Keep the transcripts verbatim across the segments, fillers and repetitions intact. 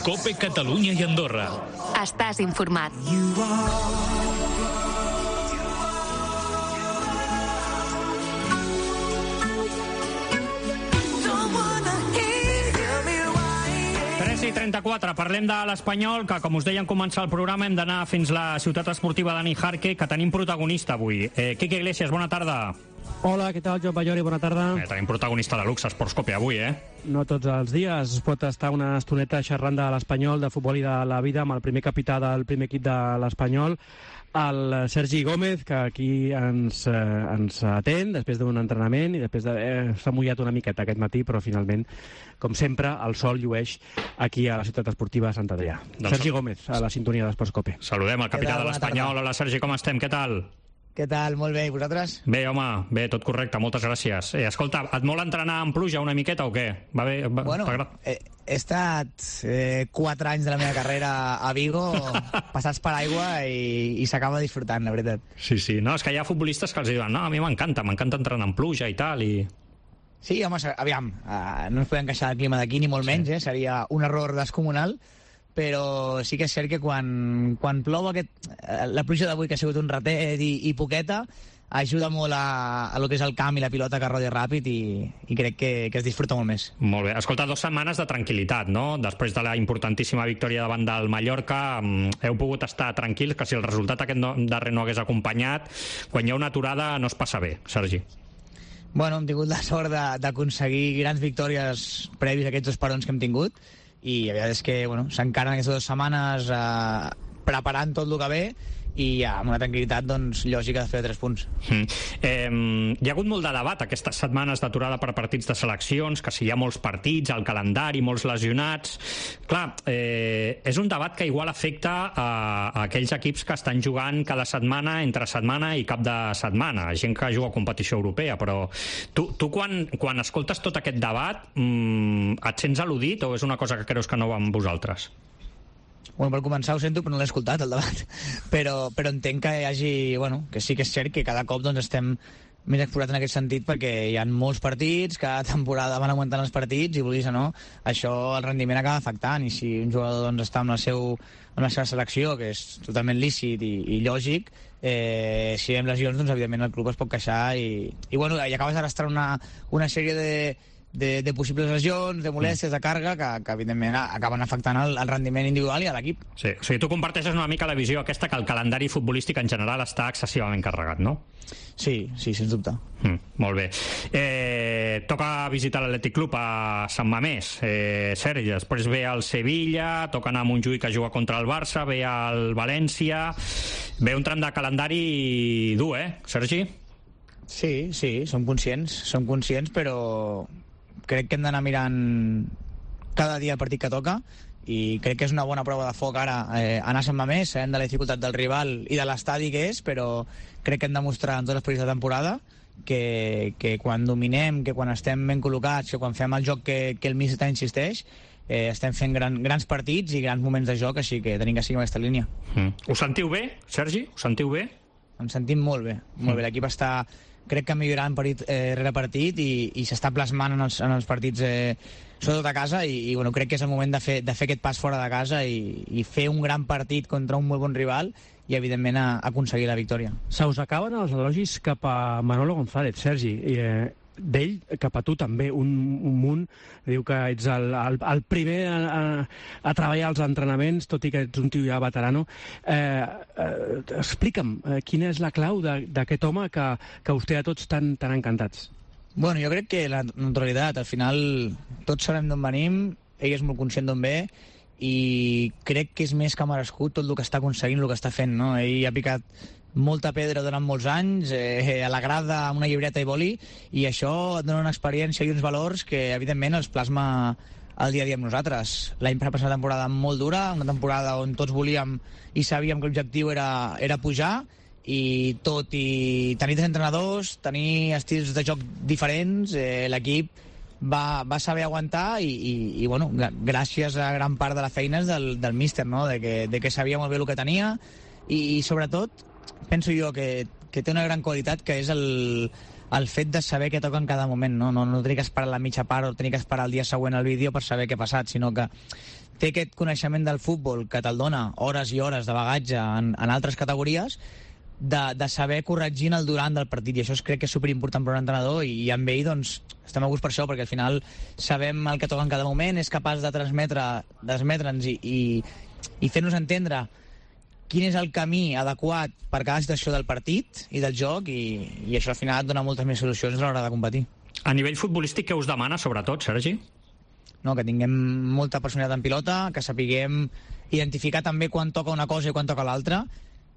COPE Catalunya i Andorra. Estàs informat. tres i trenta-quatre, parlem de l'Espanyol, que com us deia en començar el programa hem d'anar fins la ciutat esportiva de Nijarque, que tenim protagonista avui. Eh, Quique Iglesias, bona tarda. Hola, què tal, Joan Ballori? Bona tarda. Eh, tenim protagonista de luxe, Esports Cope avui, eh? No tots els dies es pot estar una estoneta xerrant de l'Espanyol, de futbol i de la vida, amb el primer capità del primer equip de l'Espanyol, el Sergi Gómez, que aquí ens, eh, ens atén després d'un entrenament i després d'haver s'ha mullat una miqueta aquest matí, però finalment, com sempre, el sol llueix aquí a la ciutat esportiva de Sant Adrià. Doncs Sergi Gómez, a la sintonia d'Esports Cope. Saludem el capità de l'Espanyol. Hola, Sergi, com estem? Què tal? Què tal? Molt bé, i vosaltres? Bé, home, bé, tot correcte, moltes gràcies. Eh, escolta, et vol entrenar en pluja una miqueta o què? Va bé, va, bueno, he, he estat eh, quatre anys de la meva carrera a Vigo, passats per aigua, i, i s'acaba disfrutant, la veritat. Sí, sí, no, és que hi ha futbolistes que els diuen no, a mi m'encanta, m'encanta entrenar en pluja i tal, i... Sí, home, aviam, uh, no ens podem queixar del clima d'aquí, ni molt sí. menys, eh? Seria un error descomunal, però sí que és cert que quan, quan plou aquest, la pluja d'avui, que ha sigut un ratet i, i poqueta, ajuda molt a, a lo que és el camp i la pilota que rodi ràpid, i, i crec que, que es disfruta molt més. Molt bé. Escolta, dues setmanes de tranquil·litat, no? Després de la importantíssima victòria davant del Mallorca, heu pogut estar tranquils, que si el resultat aquest no, darrer no hagués acompanyat, quan hi ha una aturada no es passa bé, Sergi. Bueno, hem tingut la sort d'aconseguir grans victòries previs a aquests dos parons que hem tingut, i la veritat és que bueno, s'encaren aquestes dues setmanes eh, preparant tot el que ve, i ja, amb una tranquil·litat doncs, lògica de fer tres punts. Mm. Eh, hi ha hagut molt de debat aquestes setmanes d'aturada per partits de seleccions, que si hi ha molts partits, el calendari, molts lesionats... Clar, eh, és un debat que igual afecta a, a aquells equips que estan jugant cada setmana, entre setmana i cap de setmana, gent que juga a competició europea, però tu, tu quan, quan escoltes tot aquest debat mmm, et sents al·ludit o és una cosa que creus que no va amb vosaltres? Bueno, per començar ho sento, però no l'he escoltat, el debat. Però, però entenc que hi hagi... Bueno, que sí que és cert que cada cop doncs, estem més exposats en aquest sentit, perquè hi ha molts partits, cada temporada van augmentant els partits, i vulguis o no, això el rendiment acaba afectant, i si un jugador doncs, està amb la, seu, amb la seva selecció, que és totalment lícit i, i lògic, eh, si hi ha lesions, doncs evidentment el club es pot queixar, i, i, bueno, i acabes d'arrastrar una, una sèrie de... De, de possibles lesions, de molèsties, de càrrega, que, que evidentment acaben afectant el, el rendiment individual i a l'equip. Sí, o sigui, tu comparteixes una mica la visió aquesta que el calendari futbolístic en general està excessivament carregat, no? Sí, sí, sens dubte. Mm, molt bé. Eh, toca visitar l'Atlètic Club a Sant Mamés, eh, Sergi, després ve el Sevilla, toca anar a Montjuïc a jugar contra el Barça, ve el València, ve un tram de calendari dur, eh, Sergi? Sí, sí, som conscients, som conscients, però crec que hem d'anar mirant cada dia el partit que toca, i crec que és una bona prova de foc ara eh, anar a Sant Mamés, sabent de la dificultat del rival i de l'estadi que és, però crec que hem de mostrar en tots els partits de temporada que, que quan dominem, que quan estem ben col·locats, que quan fem el joc que, que el míster insisteix, eh, estem fent gran, grans partits i grans moments de joc, així que tenim que seguir aquesta línia. Mm. Us sentiu bé, Sergi? Us sentiu bé? Ens sentim molt bé, molt mm. bé. L'equip està... crec que millorant partit eh, rere partit, i, i s'està plasmant en els, en els partits eh, sobretot a casa, i, i bueno, crec que és el moment de fer, de fer aquest pas fora de casa i, i fer un gran partit contra un molt bon rival i evidentment a, a aconseguir la victòria. Se us acaben els elogis cap a Manolo González, Sergi, i eh, d'ell cap a tu també, un, un munt. Diu que ets el, el, el primer a, a, a treballar als entrenaments, tot i que ets un tio ja veterano. Eh, eh, explica'm, eh, quina és la clau d'aquest home que, que us té a tots tan, tan encantats? Bueno, jo crec que la neutralitat, al final tots sabem d'on venim, ell és molt conscient d'on ve, i crec que és més que merescut tot el que està aconseguint, el que està fent, no? Ell ha picat molta pedra durant molts anys, eh, a la grada amb una llibreta i boli, i això et dona una experiència i uns valors que evidentment els plasma el dia a dia amb nosaltres. L'any passat una temporada molt dura, una temporada on tots volíem i sabíem que l'objectiu era, era pujar, i tot i tenir tres entrenadors, tenir estils de joc diferents, eh, l'equip va, va saber aguantar, i, i, i bueno, gràcies a gran part de la feina del, del míster, no? de, que, de que sabia molt bé el que tenia, i, i sobretot penso jo que, que té una gran qualitat, que és el, el fet de saber què toca en cada moment, no? No, no tenir que esperar la mitja part o tenir que esperar el dia següent al vídeo per saber què ha passat, sinó que té aquest coneixement del futbol que te'l dona hores i hores de bagatge en, en altres categories, de, de saber corregir en el durant del partit, i això es crec que és superimportant per un entrenador, i, i amb ell doncs, estem a gust per això, perquè al final sabem el que toca en cada moment, és capaç de transmetre, transmetre'ns i, i, i fer-nos entendre quin és el camí adequat per cada situació del partit i del joc, i, i això al final et dona moltes més solucions a l'hora de competir. A nivell futbolístic, què us demana, sobretot, Sergi? No, que tinguem molta personalitat en pilota, que sapiguem identificar també quan toca una cosa i quan toca l'altra,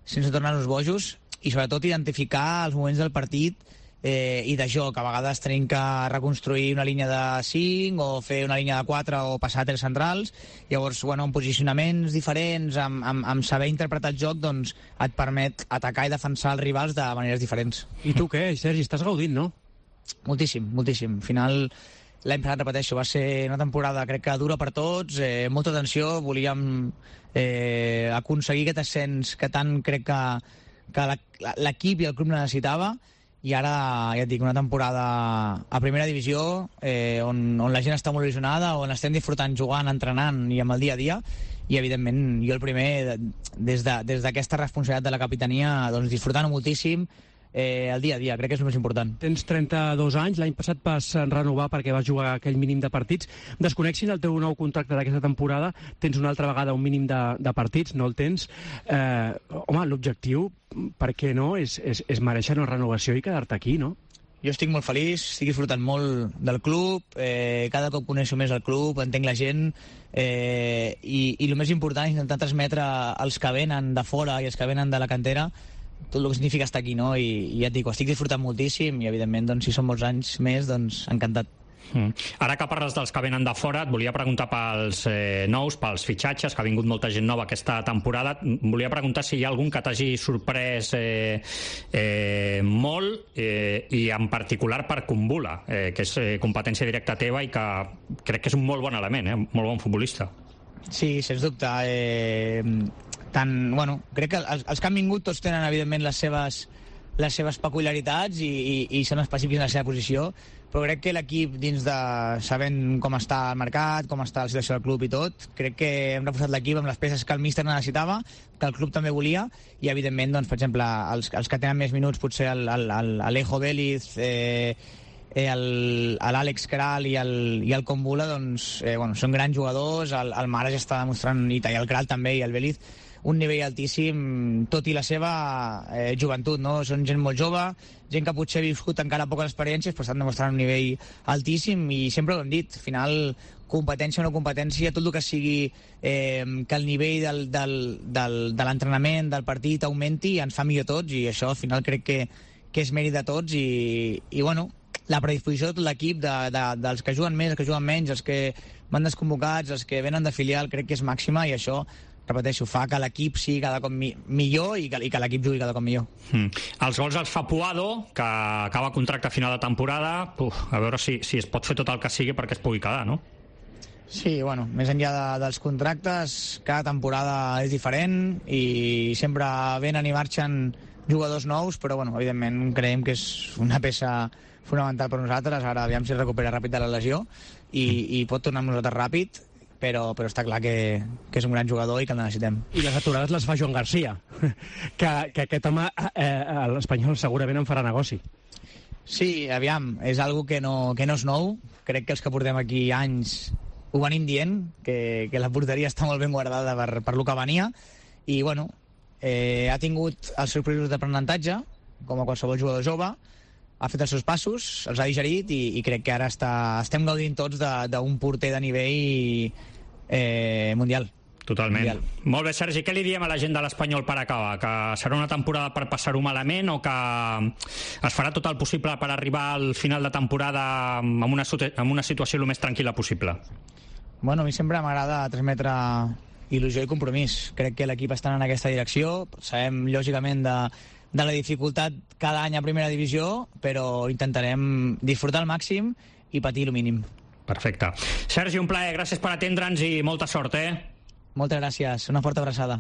sense tornar-nos bojos, i sobretot identificar els moments del partit eh, i de joc. A vegades tenim que reconstruir una línia de cinc o fer una línia de quatre o passar a tres centrals. Llavors, bueno, amb posicionaments diferents, amb, amb, amb saber interpretar el joc, doncs et permet atacar i defensar els rivals de maneres diferents. I tu què, Sergi? Estàs gaudint, no? Moltíssim, moltíssim. Al final, l'any passat, repeteixo, va ser una temporada, crec que dura per tots, eh, molta tensió, volíem eh, aconseguir aquest ascens que tant crec que, que l'equip i el club necessitava, i ara, ja et dic, una temporada a primera divisió, eh, on, on la gent està molt il·lusionada, on estem disfrutant jugant, entrenant i amb el dia a dia, i evidentment jo el primer, des de, des d'aquesta responsabilitat de la capitania, doncs disfrutant moltíssim, Eh, el dia a dia, crec que és el més important. Tens trenta-dos anys, l'any passat vas renovar perquè vas jugar aquell mínim de partits. Desconeixin el teu nou contracte d'aquesta temporada, tens una altra vegada un mínim de, de partits, no el tens. Eh, home, l'objectiu, per què no, és, és, és mereixer una renovació i quedar-te aquí, no? Jo estic molt feliç, estic disfrutant molt del club, eh, cada cop coneixo més el club, entenc la gent, eh, i, i el més important és intentar transmetre als que venen de fora i els que venen de la cantera tot el que significa estar aquí, no? I, i ja et dic, ho estic disfrutant moltíssim, i evidentment, doncs, si són molts anys més, doncs encantat. Mm. Ara que parles dels que venen de fora, et volia preguntar pels eh, nous, pels fitxatges, que ha vingut molta gent nova aquesta temporada. Volia preguntar si hi ha algun que t'hagi sorprès eh, eh, molt, eh, i en particular per Kumbula, eh, que és eh, competència directa teva i que crec que és un molt bon element, eh, molt bon futbolista. Sí, sens dubte. Eh, tant, bueno, crec que els, els que han vingut tots tenen, evidentment, les seves, les seves peculiaritats i, i, i són específics en la seva posició, però crec que l'equip, dins de sabent com està el mercat, com està la situació del club i tot, crec que hem reforçat l'equip amb les peces que el míster necessitava, que el club també volia, i evidentment, doncs, per exemple, els, els que tenen més minuts, potser l'Alejo Vélez, eh, l'Àlex Kral i el, i el Kumbula, doncs, eh, bueno, són grans jugadors, el, el Mara ja està demostrant, i el Kral també, i el Vélez, un nivell altíssim, tot i la seva eh, joventut, no? Són gent molt jove, gent que potser ha viscut encara poques experiències, però estan demostrant un nivell altíssim, i sempre ho hem dit, al final, competència o no competència, tot el que sigui eh, que el nivell del, del, del, de l'entrenament, del partit augmenti, ens fa millor tots, i això al final crec que, que és mèrit de tots, i, i bueno, la predisposició de tot l'equip, de, de, dels que juguen més, els que juguen menys, els que van desconvocats, els que venen de filial, crec que és màxima, i això, repeteixo, fa que l'equip sigui cada cop mi millor i que, i que l'equip jugui cada cop millor. Mm. Els gols els fa Puado, que acaba contracte a final de temporada. Uf, a veure si, si es pot fer tot el que sigui perquè es pugui quedar, no? Sí, bueno, més enllà de, dels contractes, cada temporada és diferent i sempre venen i marxen jugadors nous, però bueno, evidentment creiem que és una peça fonamental per nosaltres. Ara aviam si es recupera ràpid de la lesió i, i pot tornar amb nosaltres ràpid, però, però està clar que, que és un gran jugador i que el necessitem. I les aturades les fa Joan Garcia, que, que aquest home, eh, a l'Espanyol, segurament en farà negoci. Sí, aviam, és algo que no, que no és nou. Crec que els que portem aquí anys ho venim dient, que, que la porteria està molt ben guardada per, per lo que venia, i bueno, eh, ha tingut els seus processos d'aprenentatge, com a qualsevol jugador jove, ha fet els seus passos, els ha digerit, i, i crec que ara està, estem gaudint tots d'un porter de nivell eh, mundial. Totalment. Mundial. Molt bé, Sergi, què li diem a la gent de l'Espanyol per acabar? Que serà una temporada per passar-ho malament o que es farà tot el possible per arribar al final de temporada amb una, amb una situació el més tranquil·la possible? Bueno, a mi sempre m'agrada transmetre il·lusió i compromís. Crec que l'equip està en aquesta direcció. Sabem, lògicament, de, de la dificultat cada any a primera divisió, però intentarem disfrutar al màxim i patir el mínim. Perfecte. Sergi, un plaer. Gràcies per atendre'ns i molta sort, eh? Moltes gràcies. Una forta abraçada.